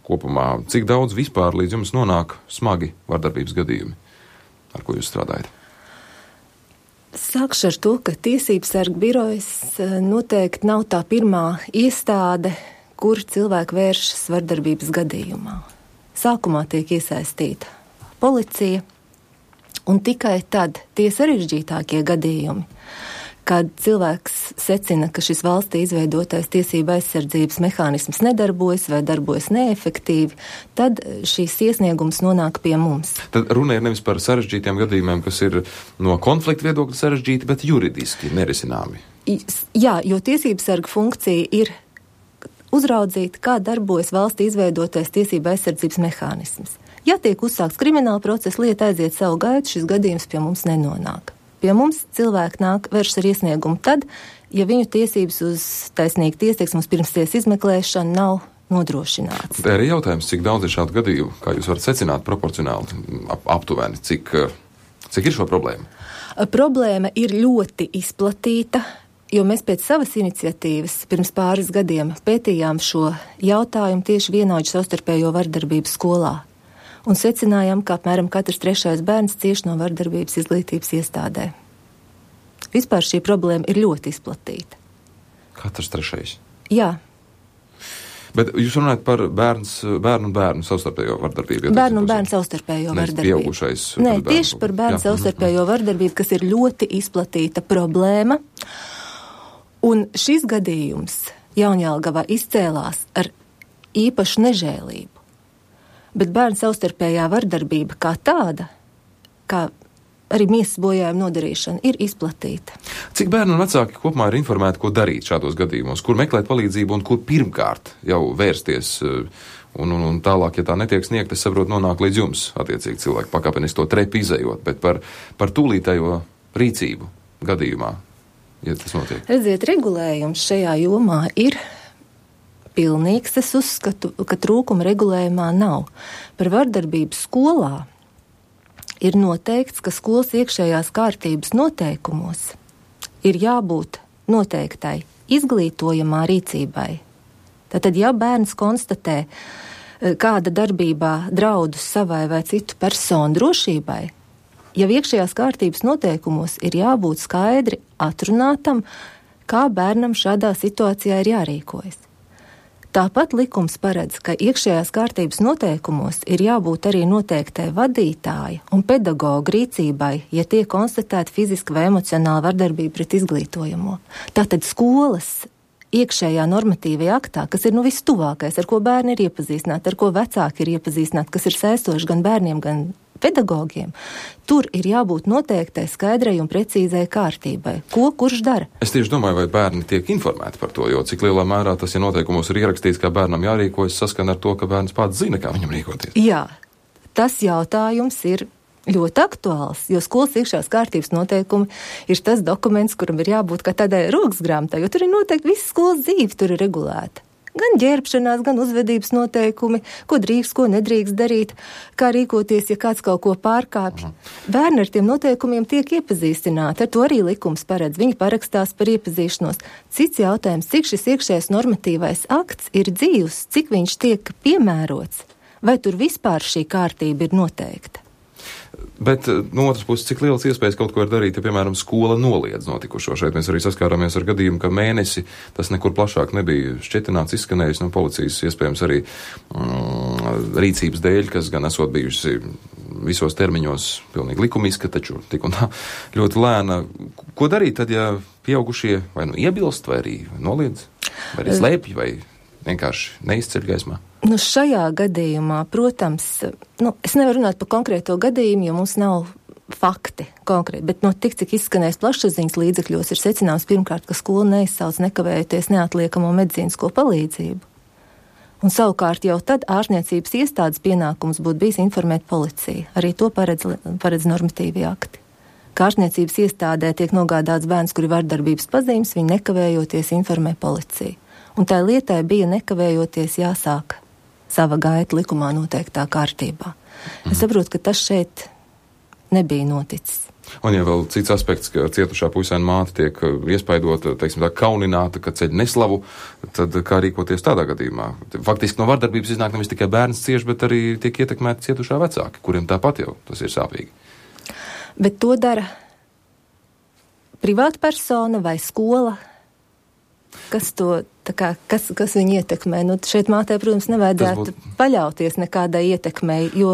kopumā. Cik daudz vispār līdz jums nonāk smagi vardarbības gadījumi, ar ko jūs strādājat? Sākšu ar to, ka Tiesības sarga birojas noteikti nav tā pirmā iestāde, kur cilvēki vēršas vardarbības gadījumā. Sākumā tiek iesaistīta policija, un tikai tad tie sarežģītākie gadījumi, kad cilvēks secina, ka šis valstī izveidotais tiesība aizsardzības mehānisms nedarbojas vai darbojas neefektīvi, tad šīs iesniegums nonāk pie mums. Tad runa ir nevis par sarežģītiem gadījumiem, kas ir no konflikta viedokļa sarežģīti, bet juridiski nerisināmi. Jā, jo tiesības sarga funkcija ir uzraudzīt, kā darbojas valstī izveidotais tiesība aizsardzības mehānisms. Ja tiek uzsākts krimināla procesa, lieta aiziet savu gaitu, šis gadījums pie mums nenonāk. Pie mums cilvēki nāk vēršas ar iesniegumu tad, ja viņu tiesības uz taisnīgu tiesību, uz pirmsties izmeklēšanu nav nodrošināts. Tā ir jautājums, cik daudz ir šādu gadījumu, kā jūs varat secināt proporcionāli, aptuveni, cik ir šo problēmu? Problēma ir ļoti izplatīta, jo mēs pēc savas iniciatīvas pirms pāris gadiem pētījām šo jautājumu tieši vienaudžu savstarpējo vardarbību skolā. Un secinājām, ka apmēram katrs 3. bērns cieš no vardarbības izglītības iestādē. Vispār šī problēma ir ļoti izplatīta. Katrs 3. Jā. Bet jūs runājat par bērnu un bērnu savstarpējo vardarbību? Bērnu un bērnu savstarpējo vardarbību. Pieaugušais. Nē, tieši par bērnu savstarpējo vardarbību, kas ir ļoti izplatīta problēma. Un šis gadījums Jaunjelgavā izcēlās ar īpašu nežēlību. Bet bērnu savstarpējā vardarbība kā tāda, kā arī miesas bojājuma nodarīšana, ir izplatīta. Cik bērni un vecāki kopumā ir informēti, ko darīt šādos gadījumos, kur meklēt palīdzību un kur pirmkārt jau vērsties un tālāk, ja tā netiek sniegt, es saprotu, nonāk līdz jums, attiecīgi cilvēki pakāpeniski to trepi izējot, bet par tūlītējo rīcību gadījumā, ja tas notiek. Redziet, regulējums šajā jomā ir pilnīgs. Es uzskatu, ka trūkuma regulējumā nav. Par vardarbību skolā ir noteikts, ka skolas iekšējās kārtības noteikumos ir jābūt noteiktai izglītojamā rīcībai. Tātad, ja bērns konstatē kāda darbībā draudus savai vai citu personu drošībai, ja iekšējās kārtības noteikumos ir jābūt skaidri atrunātam, kā bērnam šādā situācijā ir jārīkojas. Tāpat likums paredz, ka iekšējās kārtības noteikumos ir jābūt arī noteiktai vadītāja un pedagoga rīcībai, ja tiek konstatēta fiziska vai emocionāla vardarbība pret izglītojamo. Tātad skolas iekšējā normatīvajā aktā, kas ir vistuvākais, ar ko bērni ir iepazīstināti, ar ko vecāki ir iepazīstināti, kas ir saistoši gan bērniem, gan pedagogiem, tur ir jābūt noteiktai skaidrai un precīzai kārtībai. Ko kurš dara? Es tieši domāju, vai bērni tiek informēti par to, jo cik lielā mērā tas, ja noteikumos ir ierakstīts, kā bērnam jārīkojas, saskan ar to, ka bērns pats zina, kā viņam rīkoties. Jā, tas jautājums ir ļoti aktuāls, jo skolas iekšējās kārtības noteikumi ir tas dokuments, kuram ir jābūt kā tādai roksgrāmatai, jo tur ir noteikti visa skolas dzīve, tur ir regulēta. Gan ģērbšanās, gan uzvedības noteikumi, ko drīkst, ko nedrīkst darīt, kā rīkoties, ja kāds kaut ko pārkāpj. Bērni ar tiem noteikumiem tiek iepazīstināti, ar to arī likums paredz, viņi parakstās par iepazīšanos. Cits jautājums, cik šis iekšējais normatīvais akts ir dzīvs, cik viņš tiek piemērots, vai tur vispār šī kārtība ir noteikta. Bet no otras puses, cik liels iespējas kaut ko ir darīt, ja, piemēram, skola noliedz notikušo. Šeit mēs arī saskārāmies ar gadījumu, ka mēnesi tas nekur plašāk nebija šķetināts, izskanējis no policijas, iespējams arī rīcības dēļ, kas gan esot bijusi visos termiņos pilnīgi likumiska, taču tik un tā ļoti lēna. Ko darīt tad, ja pieaugušie vai iebilst, vai arī noliedz, vai arī slēpj, vai vienkārši neizceļ gaismā? Šajā gadījumā, protams, es nevaru runāt par konkrēto gadījumu, jo mums nav fakti konkrēti, bet tik, cik izskanēs plašsaziņas līdzekļos, ir secināms pirmkārt, ka skola neizsauc nekavējoties neatliekamo medicīnisko palīdzību. Un savukārt jau tad ārstniecības iestādes pienākums būtu bijis informēt policiju. Arī to paredz normatīvi akti. Kā ārstniecības iestādē tiek nogādāts bērns, kuri vardarbības pazīmes, viņi nekavējoties informē policiju. Un tā lietai bija nekavējoties jāsāk sava gaita likumā noteiktā kārtībā. Es saprotu, ka tas šeit nebija noticis. Un ja vēl cits aspekts, ka cietušā puisēna māte tiek iespaidota, teiksim tā, kaunināta, ka ceļ neslavu, tad kā rīkoties tādā gadījumā? Faktiski no vardarbības iznāk nevis tikai bērns cieši, bet arī tiek ietekmēti cietušā vecāki, kuriem tāpat jau tas ir sāpīgi. Bet to dara privāta persona vai skola? Kas to, kas viņu ietekmē? Nu, šeit mātē, protams, nevajadzētu paļauties nekādai ietekmei, jo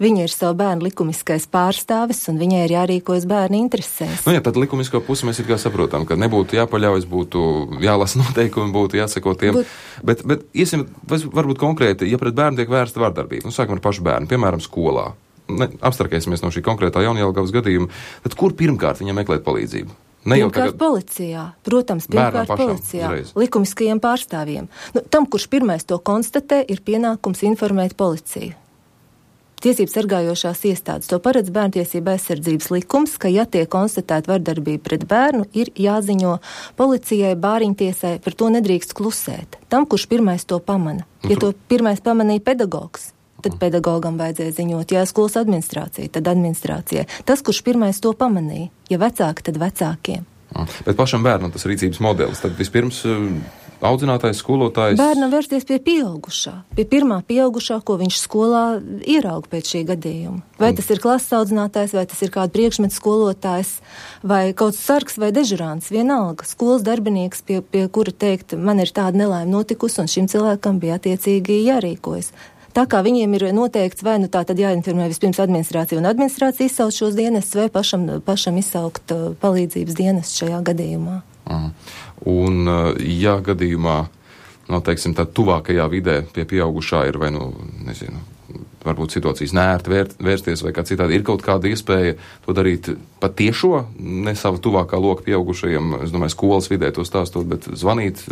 viņa ir savu bērnu likumiskais pārstāvis un viņai ir jārīkojas bērnu interesēs. Nu jā, tad likumisko pusi mēs ir kā saprotam, ka nebūtu jāpaļaujas, būtu jālasa noteikumi, būtu jāseko tiem. Bet iesim, varbūt konkrēti, ja pret bērnu tiek vērsta vardarbība, nu sākam ar pašu bērnu, piemēram, skolā. Abstrakēsimies no šī konkrētā Jaunjelgavas gadījuma, tad kur pirmkārt viņam meklēt palīdzību? Pirmkārt policijā, protams, pirmkārt policijā, likumiskajiem pārstāvjiem. Nu, tam, kurš pirmais to konstatē, ir pienākums informēt policiju. Tiesības sargājošās iestādes to paredz Bērntiesība aizsardzības likums, ka, ja tiek konstatēta vardarbība pret bērnu, ir jāziņo policijai, bāriņtiesai, par to nedrīkst klusēt. Tam, kurš pirmais to pamana. Ja to pirmais pamanīja pedagogs, tad pedagogam vajadzēja ziņot, ja skolas administrācija, tad administrācijai. Tas, kurš pirmais to pamanīja, ja vecāki, tad vecākiem. Bet pašam bērnam tas rīcības modelis, tad vispirms audzinātājs, skolotājs... Bērnam vērsties pie pieaugušā, pie pirmā pieaugušā, ko viņš skolā ierauga pēc šī gadījuma. Vai tas ir klases audzinātājs, vai tas ir kāda priekšmetu skolotājs, vai kaut sargs vai dežurāns, vienalga. Skolas darbinieks, pie kura teikt, man ir tāda nelaime notikusi, un šim cilvēkam bija attiecīgi jārīkojas. Tā kā viņiem ir noteikts, vai nu tā tad jāinformē vispirms administrācija, un administrācija izsauc šos dienestus, vai pašam izsaukt palīdzības dienestu šajā gadījumā. Un, ja gadījumā, teiksim, tā tuvākajā vidē pie pieaugušā ir, vai nezinu, varbūt situācijas neērti vērsties vai kā citādi, ir kaut kāda iespēja to darīt pat tiešo, ne savu tuvākā loka pieaugušajiem, es domāju, skolas vidē to stāstot, bet zvanīt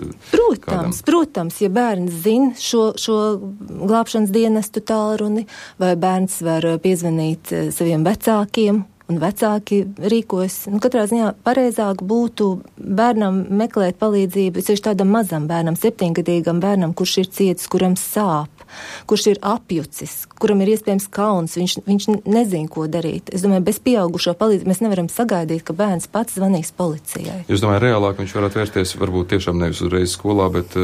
kādam. Protams, ja bērns zina šo glābšanas dienestu tālruni, vai bērns var piezvanīt saviem vecākiem, un vecāki rīkojas. Katrā ziņā pareizāk būtu bērnam meklēt palīdzību, es tādam mazam bērnam, 7-gadīgam bērnam, kurš ir cietis, kuram sāp, kurš ir apjucis, kuram ir iespējams kauns, viņš nezina, ko darīt. Es domāju, bez pieaugušo palīdzību mēs nevaram sagaidīt, ka bērns pats zvanīs policijai. Es domāju, reālāk viņš varētu vērsties varbūt tiešām nevis uzreiz skolā, bet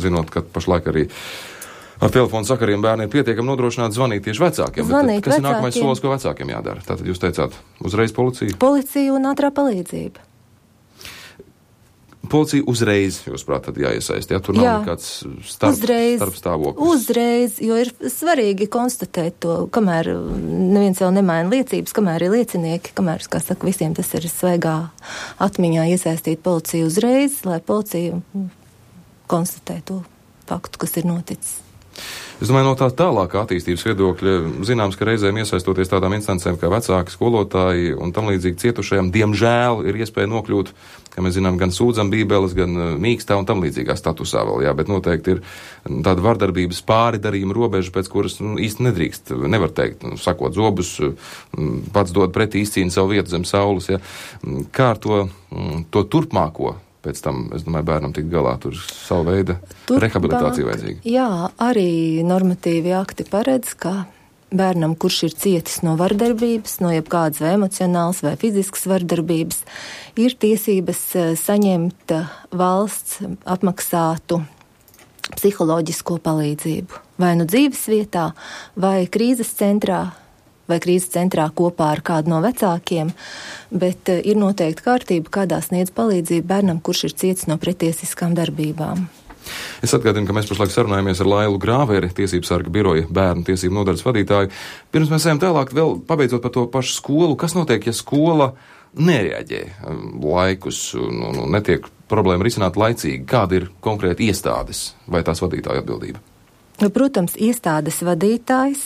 zinot, ka pašlaik arī ar telefonu sakariem bērni ir pietiekami nodrošināti zvanīt tieši vecākiem. Kas ir nākamais solis, ko vecākiem jādara? Tātad jūs teicāt, uzreiz policija? Policija un ātrā palīdzība. Policija uzreiz, jūs prāt, tad jāiesaist, ja tur nav nekāds starpstāvoklis. Uzreiz, jo ir svarīgi konstatēt to, kamēr neviens vēl nemaina liecības, kamēr ir liecinieki, kamēr, kā saka, visiem tas ir svaigā atmiņā iesaistīt policiju uzreiz, lai policija konstatē to faktu, kas ir noticis. Es domāju, no tā tālākā attīstības viedokļa zināms, ka reizēm iesaistoties tādām instancēm kā vecāki, skolotāji un tam līdzīgi cietušajiem, diemžēl ir iespēja nokļūt, kā mēs zinām, gan sūdzam bībeles, gan mīkstā un tam līdzīgā statusā vēl, jā, bet noteikti ir tāda vardarbības pāridarījuma robeža, pēc kuras īsti nedrīkst, nevar teikt, sakot zobus, pats dod pretī, izcīna savu vietu zem saules, jā. Kā ar to turpmāko? Pēc tam, es domāju, bērnam tikt galā, tur savu veidu rehabilitācija vajadzīga. Jā, arī normatīvi akti paredz, ka bērnam, kurš ir cietis no vardarbības, no jebkādas vai emocionālas vai fiziskas vardarbības, ir tiesības saņemt valsts apmaksātu psiholoģisko palīdzību. Vai nu dzīves vietā, vai krīzes centrā kopā ar kādu no vecākiem, bet ir noteikti kārtība, kādā sniedz palīdzību bērnam, kurš ir cietis no pretiesiskām darbībām. Es atgādinu, ka mēs pašlaik sarunājamies ar Lailu Grāveri, Tiesības sarga biroja bērnu tiesību nodaļas vadītāju. Pirms mēs ejam tālāk, vēl pabeidzot par to pašu skolu, kas notiek, ja skola nereaģē laikus un netiek problēma risināt laicīgi? Kāda ir konkrēti iestādes vai tās vadītāja atbildība? Protams, iestādes vadītājs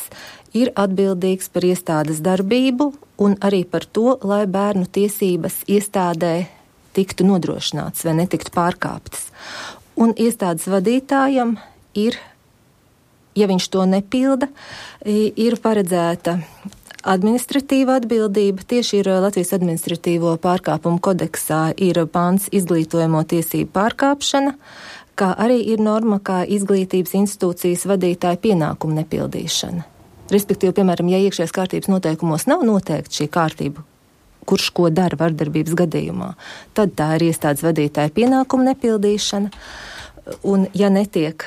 ir atbildīgs par iestādes darbību un arī par to, lai bērnu tiesības iestādē tiktu nodrošināts vai netiktu pārkāptas. Un iestādes vadītājam ir, ja viņš to nepilda, ir paredzēta administratīva atbildība. Tieši ir Latvijas administratīvo pārkāpumu kodeksā ir pants izglītojamo tiesību pārkāpšana, kā arī ir norma kā izglītības institūcijas vadītāja pienākumu nepildīšana. Respektīvi, piemēram, ja iekšējās kārtības noteikumos nav noteikti šī kārtība kurš ko dara vardarbības gadījumā. Tad tā ir iestādes vadītāja pienākuma nepildīšana, un ja netiek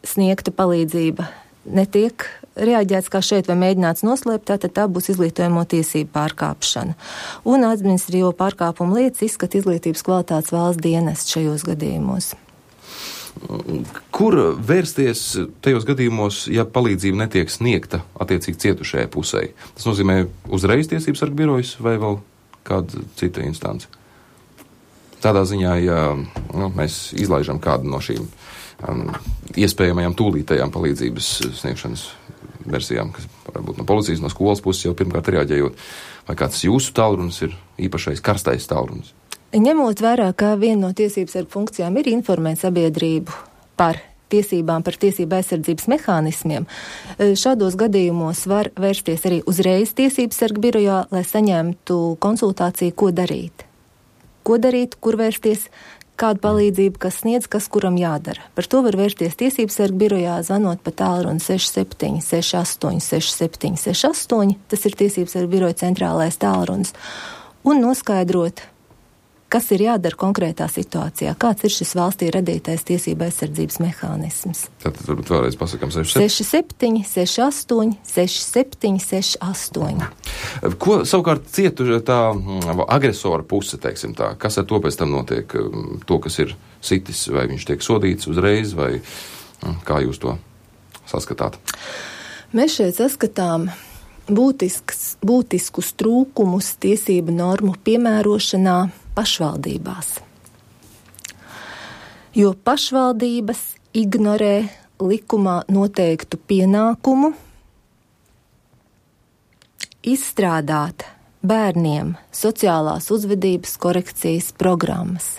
sniegta palīdzība, netiek reaģēts kā šeit vai mēģināts noslēpt, tad tā būs izglītojamo tiesību pārkāpšana. Un administratīvo pārkāpumu lietas izskata izglītības kvalitātes valsts dienests šajos gadījumos. Kur vērsties tajos gadījumos, ja palīdzība netiek sniegta attiecīgi cietušajai pusē? Tas nozīmē uzreiz tiesības sarga birojas vai vēl kāda cita instance? Tādā ziņā, ja mēs izlaižam kādu no šīm iespējamajām tūlītajām palīdzības sniegšanas versijām, kas varbūt no policijas, no skolas puses jau pirmkārt reaģējot, vai kāds jūsu tālrunis ir īpašais karstais tālrunis? Ņemot vērā, ka viena no tiesības sarga funkcijām ir informēt sabiedrību par tiesībām, par tiesību aizsardzības mehānismiem, šādos gadījumos var vērsties arī uzreiz tiesības sarga birojā, lai saņemtu konsultāciju, ko darīt. Ko darīt, kur vērsties, kādu palīdzību, kas sniedz, kas kuram jādara. Par to var vērsties tiesības sarga birojā, zvanot pa tālruni 67 68 67 68, tas ir tiesības sarga biroja centrālais tālrunis, un noskaidrot, kas ir jādara konkrētā situācijā, kāds ir šis valstī radītais tiesība aizsardzības mehānisms. Tad varbūt vēlreiz pasakām 67 68 67 68. Ko savukārt cietu tā agresora puse, teiksim tā, kas ar to pēc tam notiek? To, kas ir sitis, vai viņš tiek sodīts uzreiz, vai kā jūs to saskatāt? Mēs šeit saskatām būtiskus trūkumus tiesību normu piemērošanā pašvaldībās. Jo pašvaldības ignorē likumā noteiktu pienākumu izstrādāt bērniem sociālās uzvedības korekcijas programmas.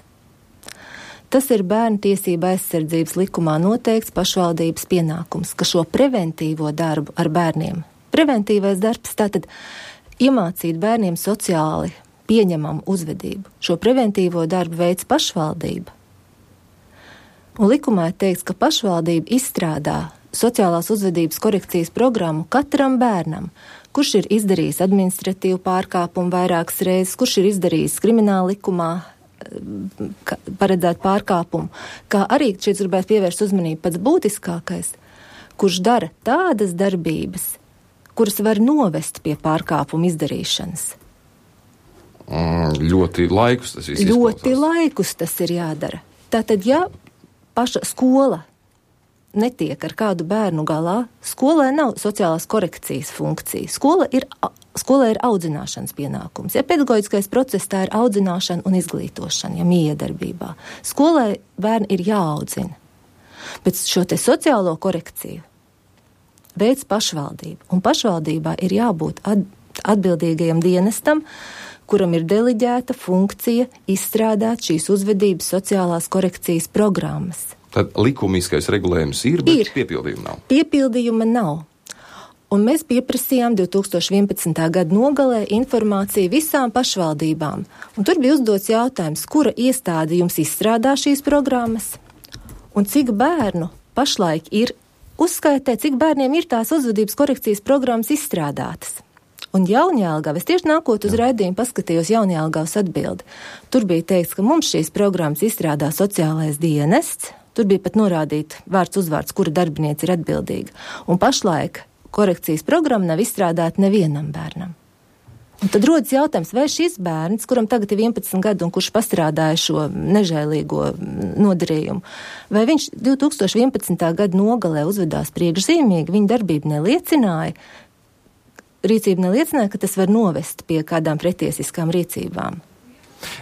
Tas ir bērnu tiesība aizsardzības likumā noteikts pašvaldības pienākums, ka šo preventīvo darbu ar bērniem. Preventīvais darbs tātad iemācīt bērniem sociāli pieņemamu uzvedību. Šo preventīvo darbu veids pašvaldība. Un likumā ir teikts, ka pašvaldība izstrādā sociālās uzvedības korekcijas programmu katram bērnam, kurš ir izdarījis administratīvu pārkāpumu vairākas reizes, kurš ir izdarījis krimināla likumā paredzēt pārkāpumu, kā arī šeit gribētu pievērst uzmanību pats būtiskākais, kurš dara tādas darbības, kuras var novest pie pārkāpuma izdarīšanas. Ļoti laikus tas viss izklausās. Ļoti laikus tas ir jādara. Tātad, ja paša skola netiek ar kādu bērnu galā, skolai nav sociālās korekcijas funkcija. Skolai ir audzināšanas pienākums. Ja pedagoģiskais process, tā ir audzināšana un izglītošana, ja miedarbībā. Skolai bērni ir jāaudzina. Bet šo te sociālo korekciju veids pašvaldība. Un pašvaldībā ir jābūt atbildīgajam dienestam, kuram ir deleģēta funkcija izstrādāt šīs uzvedības sociālās korekcijas programmas. Tad likumiskais regulējums ir, bet piepildījuma nav. Piepildījuma nav. Un mēs pieprasījām 2011. gada nogalē informāciju visām pašvaldībām. Un tur bija uzdots jautājums, kura iestāde jums izstrādā šīs programmas un cik bērnu pašlaik ir uzskaitē, cik bērniem ir tās uzvedības korekcijas programmas izstrādātas. Un Jaunjēlgava, es tieši nākot uz raidījumu paskatījos Jaunjēlgavas atbildi. Tur bija teikts, ka mums šīs programmas izstrādā sociālais dienests, tur bija pat norādīt vārds uzvārds, kura darbiniece ir atbildīga. Un pašlaik korekcijas programma nav izstrādāta nevienam bērnam. Un tad rodas jautājums, vai šis bērns, kuram tagad ir 11 gadu un kurš pastrādāja šo nežēlīgo nodarījumu, vai viņš 2011. gada nogalē uzvedās priekšzīmīgi, viņa darbība neliecināja, rīcība neliecināja, ka tas var novest pie kādām pretiesiskām rīcībām.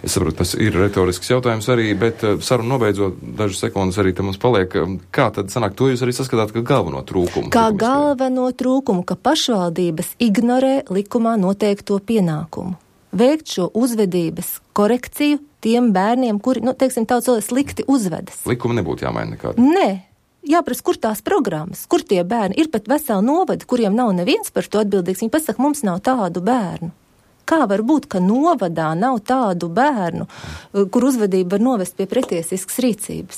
Es saprotu, tas ir retorisks jautājums arī, bet sarunu nobeidzot dažas sekundes arī te mums paliek. Kā tad sanāk, to jūs arī saskatāt, ka galveno trūkumu? Kā galveno trūkumu, ka pašvaldības ignorē likumā noteikto pienākumu. Veikt šo uzvedības korekciju tiem bērniem, kuri, teiksim, tautas vēl slikti uzvedas. Likuma nebūtu jāmaina nekāda? Nē. Jāprast, kur tās programmas, kur tie bērni ir pat veseli novadi, kuriem nav neviens par to atbildīgs. Viņi pasaka, mums nav tādu bērnu. Kā var būt, ka novadā nav tādu bērnu, kur uzvedība var novest pie pretiesiskas rīcības?